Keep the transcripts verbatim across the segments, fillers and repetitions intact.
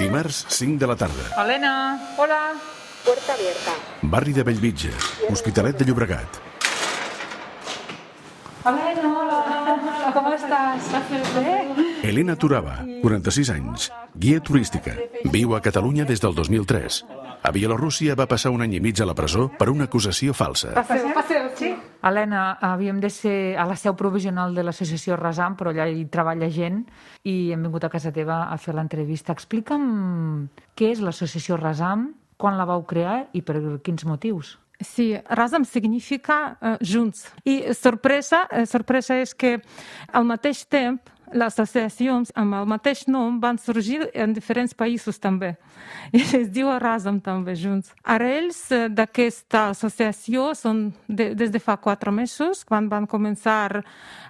Dimarts, cinc de la tarda. Helena, hola. Puerta abierta. Barri de Bellvitge, Hospitalet de Llobregat. Helena, hola. Com estàs? Bé? Elena Turaba, quaranta-sis anys, guia turística. Viu a Catalunya des del dos mil tres. A Bielorússia va passar un any i mig a la presó per una acusació falsa. Passeu, passeu, sí. Helena, havíem de ser a la seu provisional de l'associació Rasam, però allà hi treballa gent i hem vingut a casa teva a fer l'entrevista. Explica'm què és l'associació Rasam, quan la vau crear i per quins motius. Sí, Razam significa uh, junts. I sorpresa, uh, sorpresa és que al mateix temps les associacions amb el mateix nom van sorgir en diferents països també. I es diu Razam també, junts. Ara ells d'aquesta associació són de, des de fa quatre mesos, quan van començar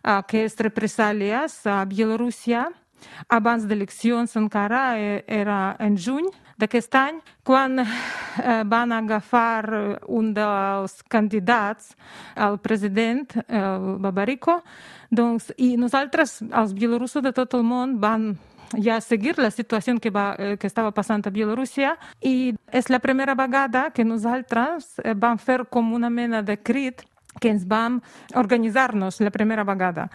aquestes represàlies a Bielorússia. Abans d'eleccions encara era en juny d'aquest any, quan eh, van agafar un dels candidats al president, el Babariko, doncs, i nosaltres, els bielorussos de tot el món, van ja seguir la situació que, va, que estava passant a Bielorússia i és la primera vegada que nosaltres vam fer com una mena de crit que ens vam organitzar-nos la primera vegada.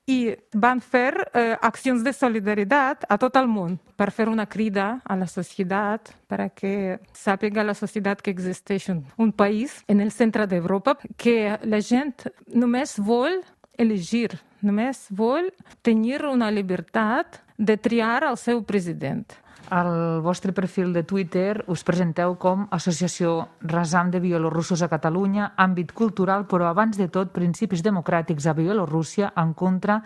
I van fer eh, accions de solidaritat a tot el món per fer una crida a la societat perquè sàpiga la societat que existeix un, un país en el centre d'Europa que la gent només vol elegir, només vol tenir una llibertat de triar el seu president. Al vostre perfil de Twitter us presenteu com Associació Razam de Bielorussos a Catalunya, àmbit cultural, però abans de tot principis democràtics a Bielorússia en contra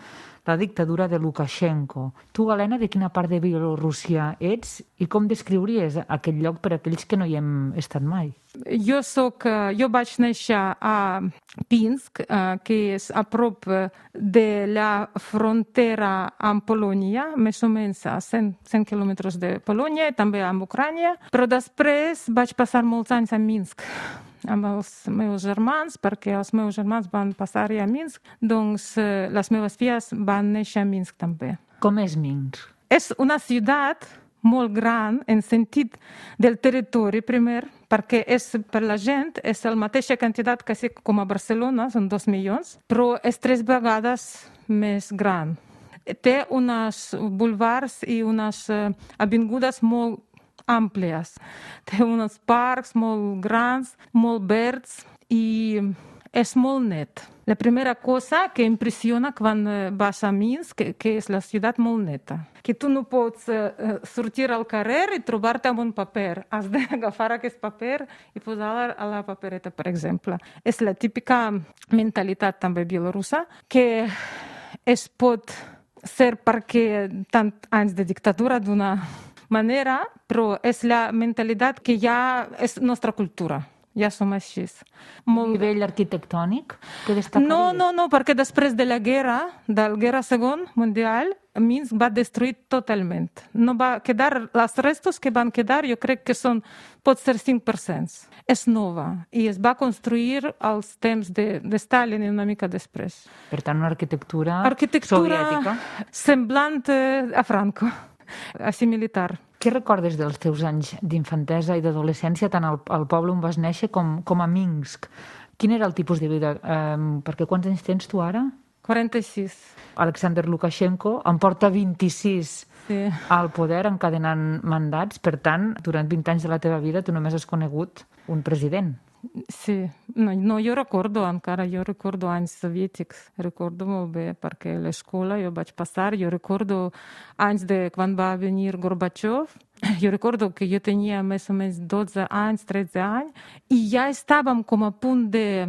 la dictadura de Lukashenko. Tu, Helena, de quina part de Bielorússia ets i com descriuries aquest lloc per a aquells que no hi hem estat mai? Jo soc, jo vaig néixer a Pinsk, que és a prop de la frontera amb Polònia, més o menys a cent, cent quilòmetres de Polònia, també amb Ucrània, però després vaig passar molts anys a Minsk amb els meus germans, perquè els meus germans van passar a Minsk, doncs les meves filles van néixer a Minsk també. Com és Minsk? És una ciutat molt gran en sentit del territori, primer, perquè és, per la gent és la mateixa quantitat que com a Barcelona, són dos milions, però és tres vegades més gran. Té uns boulevards i unes avingudes molt àmplies. Té uns parcs molt grans, molt verds i és molt net. La primera cosa que impressiona quan vas a Minsk, que, que és la ciutat molt neta. Que tu no pots uh, sortir al carrer i trobar-te amb un paper. Has d'agafar aquest paper i posar-lo a la papereta, per exemple. És la típica mentalitat també bielorussa, que es pot ser perquè tant anys de dictadura d'una manera, però és la mentalitat que ja és nostra cultura. Ja som així. Molt... nivell arquitectònic que destacaries? No, no, no, perquè després de la guerra, de la guerra segona mundial, Minsk va destruir totalment. No va quedar, els restos que van quedar, jo crec que són, pot ser cinc per cent. És nova i es va construir als temps de, de Stalin i una mica després. Per tant, una arquitectura, arquitectura soviètica. Semblant a Franco, així militar. Què recordes dels teus anys d'infantesa i d'adolescència, tant al, al poble on vas néixer com, com a Minsk? Quin era el tipus de vida? Um, perquè quants anys tens tu ara? quaranta-sis. Alexander Lukashenko en porta vint-i-sis sí. al poder, encadenant mandats. Per tant, durant vint anys de la teva vida tu només has conegut un president. Sí, no, no, jo recordo encara, jo recordo anys soviètics, recordo molt bé, perquè a l'escola jo vaig passar, jo recordo anys de quan va venir Gorbachev, jo recordo que jo tenia més o menys dotze anys, tretze anys, i ja estàvem com a punt de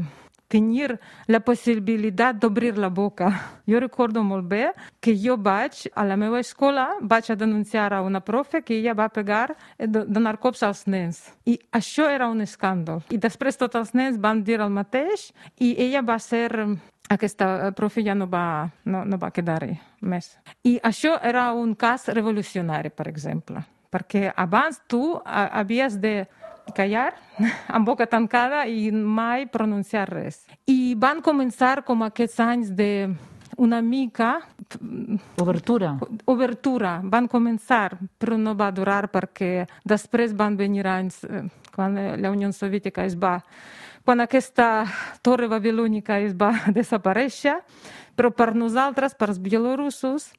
tenir la possibilitat d'obrir la boca. Jo recordo molt bé que jo vaig, a la meva escola, vaig a denunciar a una profe que ella va pegar, donar cops als nens. I això era un escàndol. I després tots els nens van dir el mateix i ella va ser... Aquesta profe ja no va, no, no va quedar-hi més. I això era un cas revolucionari, per exemple. Perquè abans tu havies de callar amb boca tancada i mai pronunciar res. I van començar com aquests anys de una mica Obertura. Obertura. Van començar, però no va durar perquè després van venir anys quan la Unió Soviètica es va... Quan aquesta torre babilònica es va desaparèixer, però per nosaltres, per els bielorussos,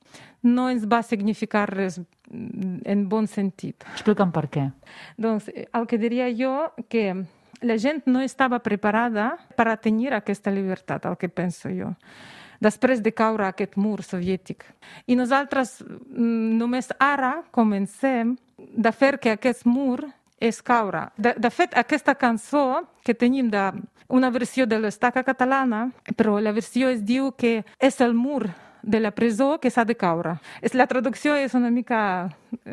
no ens va significar res en bon sentit. Explica'm per què. Doncs el que diria jo que la gent no estava preparada per a tenir aquesta llibertat, el que penso jo, després de caure aquest mur soviètic. I nosaltres només ara comencem de fer que aquest mur és caure. De, de fet, aquesta cançó que tenim de una versió de l'estaca catalana, però la versió es diu que és el mur de la presó que s'ha de caure. La traducció és una mica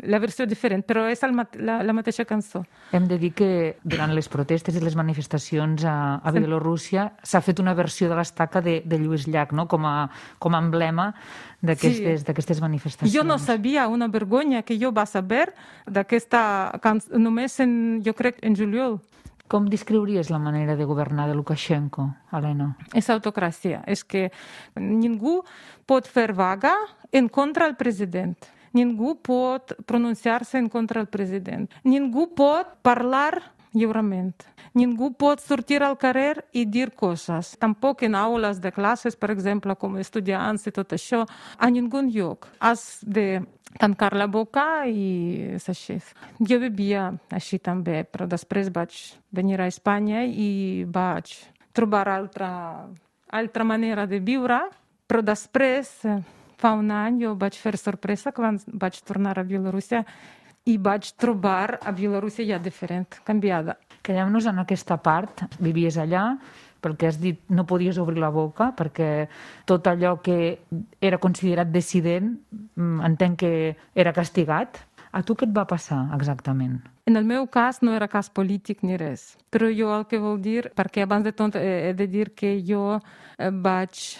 la versió diferent, però és el, la, la mateixa cançó. Hem de dir que durant les protestes i les manifestacions a, a Bielorússia s'ha fet una versió de l'estaca de, de Lluís Llach, no? com, a, com a emblema d'aquestes sí. manifestacions. Jo no sabia, una vergonya que jo va saber d'aquesta cançó, només en, jo crec, en juliol. Com descriuries la manera de governar de Lukashenko, Helena? És autocràcia. És que ningú pot fer vaga en contra del president. Ningú pot pronunciar-se en contra del president. Ningú pot parlar lliurement. Ningú pot sortir al carrer i dir coses. Tampoc en aules de classes, per exemple, com estudiants i tot això, a ningú lloc. Has de tancar la boca i és així. Jo vivia així també, però després vaig venir a Espanya i vaig trobar altra, altra manera de viure, però després, fa un any, jo vaig fer sorpresa quan vaig tornar a Bielorússia i vaig trobar a Bielorússia ja diferent, canviada. Quedem-nos en aquesta part. Vivies allà, pel que has dit, no podies obrir la boca, perquè tot allò que era considerat dissident, entenc que era castigat. A tu què et va passar exactament? En el meu cas no era cas polític ni res. Però jo el que vol dir, perquè abans de tot he de dir que jo vaig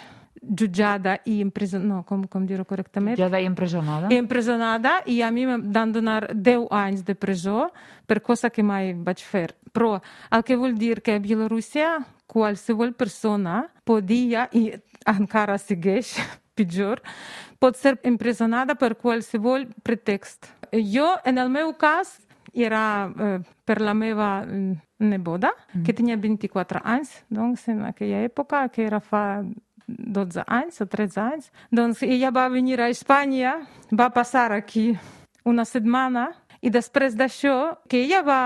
jutjada i empresonada, no, com, com dir-ho correctament? Jutjada i empresonada. I empresonada, i a mi em van donar deu anys de presó per cosa que mai vaig fer. Però el que vol dir que a Bielorússia qualsevol persona podia, i encara segueix pitjor, pot ser empresonada per qualsevol pretext. Jo, en el meu cas, era eh, per la meva neboda, mm. que tenia vint-i-quatre anys, doncs, en aquella època, que era fa dotze anys o tretze anys. Doncs ella va venir a Espanya, va passar aquí una setmana, i després d'això, que ella va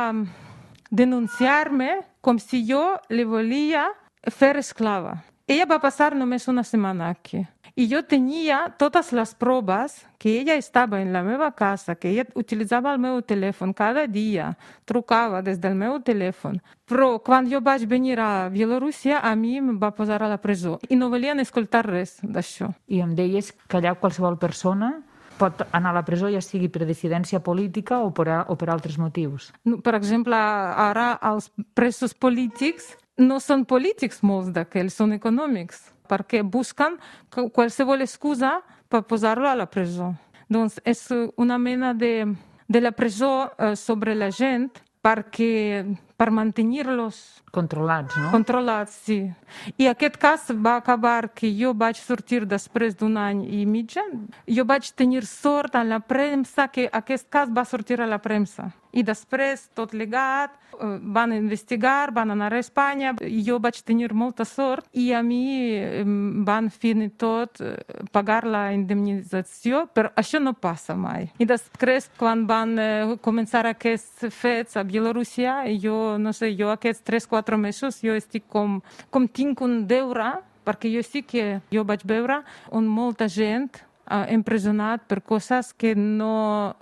denunciar-me com si jo li volia fer esclava. Ella va passar només una setmana aquí. I jo tenia totes les proves que ella estava en la meva casa, que ella utilitzava el meu telèfon cada dia, trucava des del meu telèfon. Però quan jo vaig venir a Bielorússia, a mi em va posar a la presó. I no volien escoltar res d'això. I em deies que allà qualsevol persona pot anar a la presó, ja sigui per dissidència política o per, a, o per altres motius. Per exemple, ara els presos polítics no són polítics molts d'aquells, són econòmics, perquè busquen qualsevol excusa per posar-lo a la presó. Doncs és una mena de, de la presó eh, sobre la gent perquè, per mantenir-los controlats, no? Controlats, sí. I aquest cas va acabar que jo vaig sortir després d'un any i mitja. Jo vaig tenir sort a la premsa que aquest cas va sortir a la premsa. I després, tot legat, van investigar, van anar a Espanya. Jo vaig tenir molta sort i a mi van fins i tot pagar la indemnització, però això no passa mai. I després, quan van començar aquests fets a Bielorússia, jo, no sé, jo aquests tres quatre mesos, jo estic com, com tinc un deure, perquè jo sí que jo vaig veure on molta gent ha empresonat per coses que no...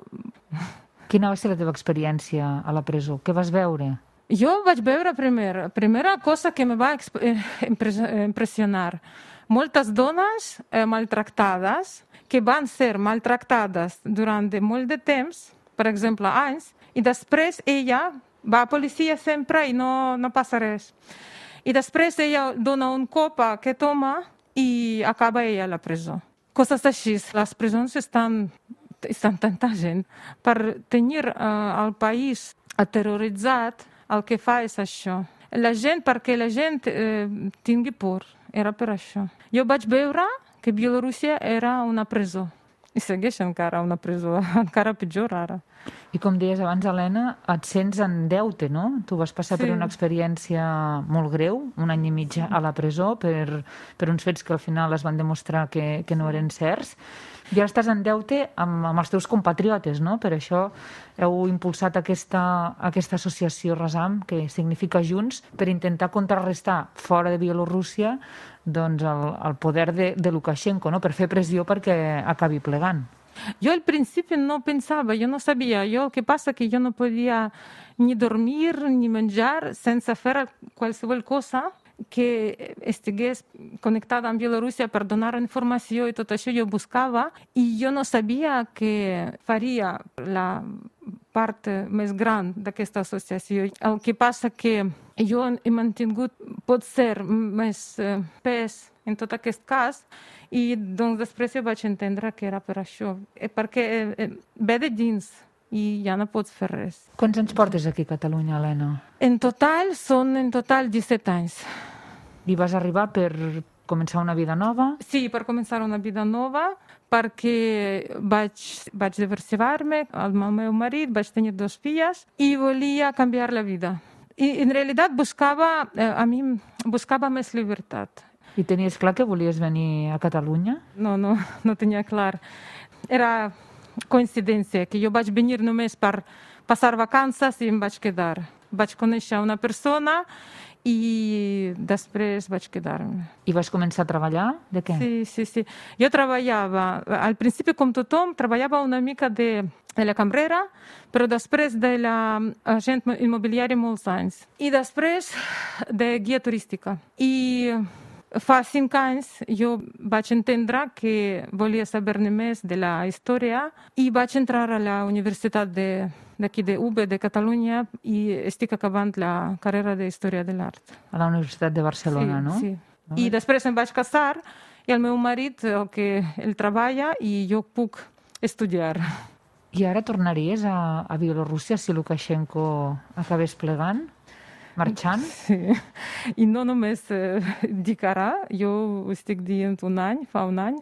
Quina va ser la teva experiència a la presó? Què vas veure? Jo vaig veure primer, primera cosa que me va impressionar. Moltes dones eh, maltractades, que van ser maltractades durant de molt de temps, per exemple, anys, i després ella va a policia sempre i no, no passa res. I després ella dona un cop a aquest home i acaba ella a la presó. Coses així. Les presons estan... estan tanta gent. Per tenir uh, el país aterroritzat, el que fa és això. La gent, perquè la gent eh, tingui por, era per això. Jo vaig veure que Bielorússia era una presó. I segueix encara una presó, encara pitjor ara. I com deies abans, Helena, et sents en deute, no? Tu vas passar Sí. per una experiència molt greu, un any i mig a la presó, per, per uns fets que al final es van demostrar que, que no eren certs. I ara estàs en deute amb, amb els teus compatriotes, no? Per això heu impulsat aquesta, aquesta associació Razam, que significa Junts, per intentar contrarrestar fora de Bielorússia doncs, el, el poder de, de Lukashenko, no? Per fer pressió perquè acabi plegant. Yo al principio no pensaba, yo no sabía. Yo, ¿qué pasa? Que yo no podía ni dormir, ni menjar, sense fer qualsevol cosa que estigués connectada amb Bielorússia per donar informació i tot això jo buscava i jo no sabia que faria la part més gran d'aquesta associació. El que passa que jo he mantingut, pot ser, més pes en tot aquest cas i doncs després jo vaig entendre que era per això, perquè ve de dins i ja no pots fer res. Quants anys portes aquí a Catalunya, Helena? En total són en total disset anys. I vas arribar per començar una vida nova? Sí, per començar una vida nova, perquè vaig, vaig divorciar-me amb el meu marit, vaig tenir dos filles i volia canviar la vida. I en realitat buscava, a mi buscava més llibertat. I tenies clar que volies venir a Catalunya? No, no, no tenia clar. Era coincidència, que jo vaig venir només per passar vacances i em vaig quedar. Vaig conèixer una persona i després vaig quedar-me. I vas començar a treballar? De què? Sí, sí, sí. Jo treballava, al principi com tothom, treballava una mica de, de la cambrera, però després de l'agent immobiliari molts anys. I després de guia turística. I fa cinc anys jo vaig entendre que volia saber-ne més de la història i vaig entrar a la Universitat de, d'aquí de U B, de Catalunya, i estic acabant la carrera de Història de l'Art. A la Universitat de Barcelona, sí, no? Sí, I després em vaig casar i el meu marit, que ell treballa i jo puc estudiar. I ara tornaries a, a Bielorússia si Lukashenko acabés plegant? Marxant? Sí, i no només eh, dic ara, jo ho estic dient un any, fa un any,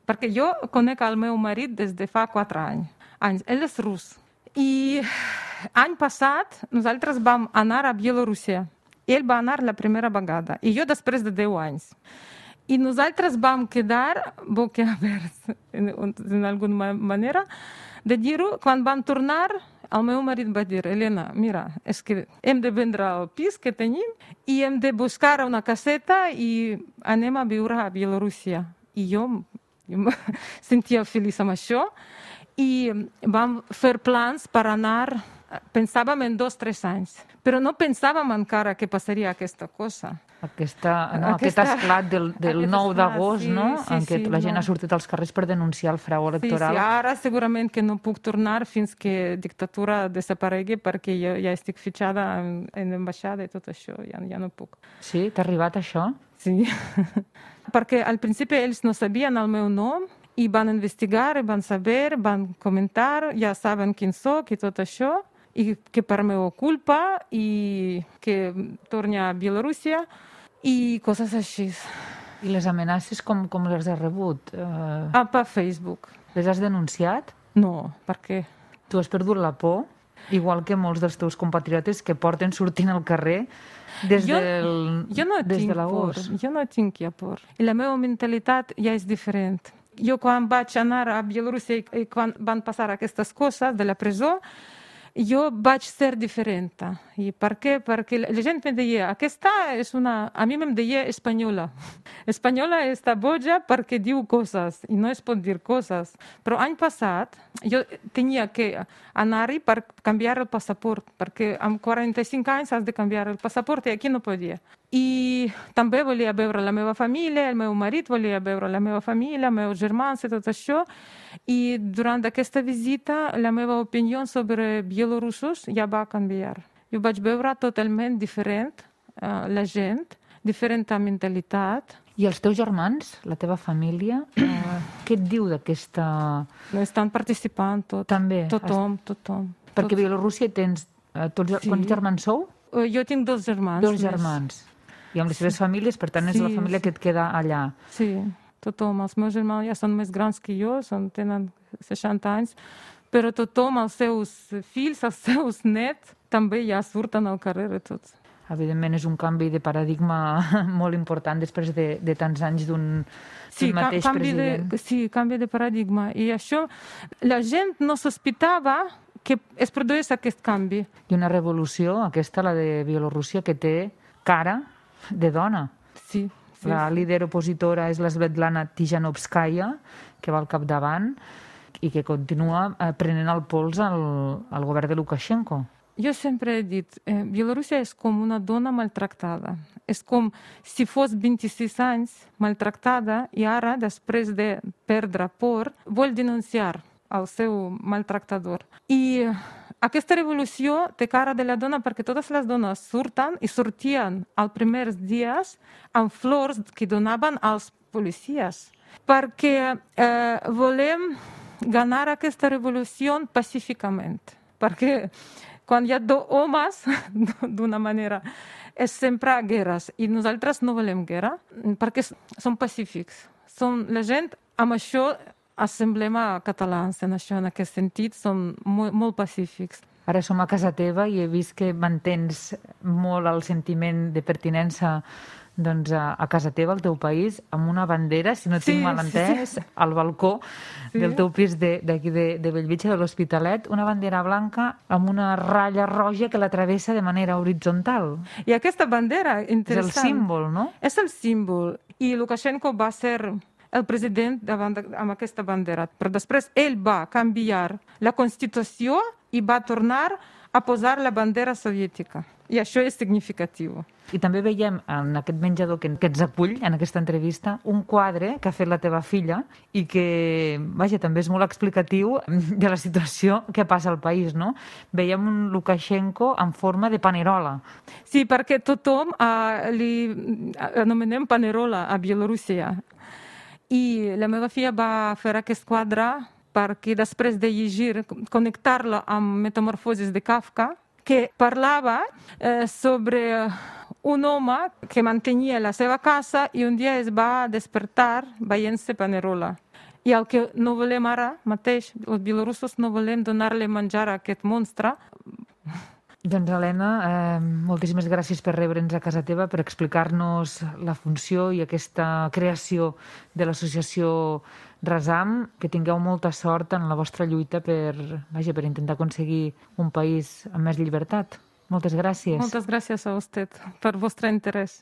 perquè jo conec el meu marit des de fa quatre anys. anys. Ell és rus. I any passat nosaltres vam anar a Bielorússia. Ell va anar la primera vegada, i jo després de deu anys. I nosaltres vam quedar boquiaberts, en, en alguna manera, de dir-ho, quan vam tornar, el meu marit va dir, Helena, mira, és que hem de vendre el pis que tenim i hem de buscar una caseta i anem a viure a Bielorússia. I jo, jo em sentia feliç amb això i vam fer plans per anar, pensàvem en dos o tres anys, però no pensàvem encara que passaria aquesta cosa. Aquesta, no, Aquesta, aquest esclat del, del aquest nou d'agost, sí, no? sí, en què sí, la gent no. ha sortit als carrers per denunciar el frau electoral. Sí, sí, ara segurament que no puc tornar fins que dictadura desaparegui perquè jo ja estic fitxada en, en l'ambaixada i tot això, ja, ja no puc. Sí? T'ha arribat això? Sí, perquè al principi ells no sabien el meu nom i van investigar, i van saber, van comentar, ja saben quin soc i tot això, i que per meva culpa i que torni a Bielorússia i coses així. I les amenaces com, com les has rebut? Uh, Ah, per Facebook. les has denunciat? No, per què? Tu has perdut la por, igual que molts dels teus compatriotes que porten sortint al carrer des, Jo- del, Jo no des tinc de l'agost. por, jo no tinc ja por. I la meva mentalitat ja és diferent. Jo quan vaig anar a Bielorússia i quan van passar aquestes coses de la presó, jo vaig ser diferent. I per què? Perquè la gent em deia, aquesta és una... A mi em deia espanyola. Espanyola està boja perquè diu coses i no es pot dir coses. Però any passat jo tenia que anar-hi per canviar el passaport, perquè amb quaranta-cinc anys has de canviar el passaport i aquí no podia. I també volia veure la meva família, el meu marit volia veure la meva família, els meus germans i tot això. I durant aquesta visita la meva opinió sobre bielorussos ja va canviar. Jo vaig veure totalment diferent uh, la gent, diferent mentalitat. I els teus germans, la teva família, eh, què et diu d'aquesta... Estan participant tot. També. Tothom, tothom. Perquè a Bielorússia tens... Eh, tots, Sí. Quants germans sou? Uh, Jo tinc dos germans. Dos més. germans. I amb les seves famílies, per tant, és Sí, la família sí. que et queda allà. Sí. tothom. Els meus germans ja són més grans que jo, són, tenen seixanta anys, però tothom, els seus fills, els seus nets, també ja surten al carrer i tots. Evidentment és un canvi de paradigma molt important després de, de tants anys d'un sí, mateix canvi president. De, sí, canvi de paradigma. I això, la gent no sospitava que es produís aquest canvi. I una revolució, aquesta, la de Bielorússia, que té cara de dona. Sí. sí la sí. líder opositora és la Svetlana Tijanovskaya, que va al capdavant i que continua prenent el pols al, al govern de Lukashenko. Jo sempre he dit, eh, Bielorússia és com una dona maltractada. És com si fos vint-i-sis anys maltractada i ara, després de perdre por, vol denunciar el seu maltractador. I aquesta revolució té cara de la dona perquè totes les dones surten i sortien els primers dies amb flors que donaven als policies. Perquè eh, volem ganar aquesta revolució pacíficament. Perquè quan hi ha dos homes, d'una manera, és sempre guerres. I nosaltres no volem guerra, perquè som pacífics. Som la gent, amb això assemblem a catalans, en això, en aquest sentit, som molt, molt pacífics. Ara som a casa teva i he vist que mantens molt el sentiment de pertinença doncs, a, a casa teva, al teu país, amb una bandera, si no sí, tinc mal entès, sí, sí. al balcó sí. del teu pis d'aquí de, de, de Bellvitge, de l'Hospitalet, una bandera blanca amb una ratlla roja que la travessa de manera horitzontal. I aquesta bandera, interessant... És el símbol, no? És el símbol. I Lukashenko va ser el president davant de, amb aquesta bandera. Però després ell va canviar la Constitució i va tornar a posar la bandera soviètica. I això és significatiu. I també veiem en aquest menjador que, que ens acull en aquesta entrevista un quadre que ha fet la teva filla i que, vaja, també és molt explicatiu de la situació que passa al país, no? Veiem un Lukashenko en forma de panerola. Sí, perquè tothom uh, li anomenem panerola a Bielorússia. I la meva filla va fer aquest quadre perquè després de llegir, connectar-lo amb Metamorfosis de Kafka, que parlava eh, sobre un home que mantenia la seva casa i un dia es va despertar veient-se panerola. I el que no volem ara mateix, els bielorussos no volem donar-li menjar a aquest monstre. Doncs, Helena, eh, moltíssimes gràcies per rebre'ns a casa teva, per explicar-nos la funció i aquesta creació de l'associació Razam. Que tingueu molta sort en la vostra lluita per, vaja, per intentar aconseguir un país amb més llibertat. Moltes gràcies. Moltes gràcies a vostè per vostre interès.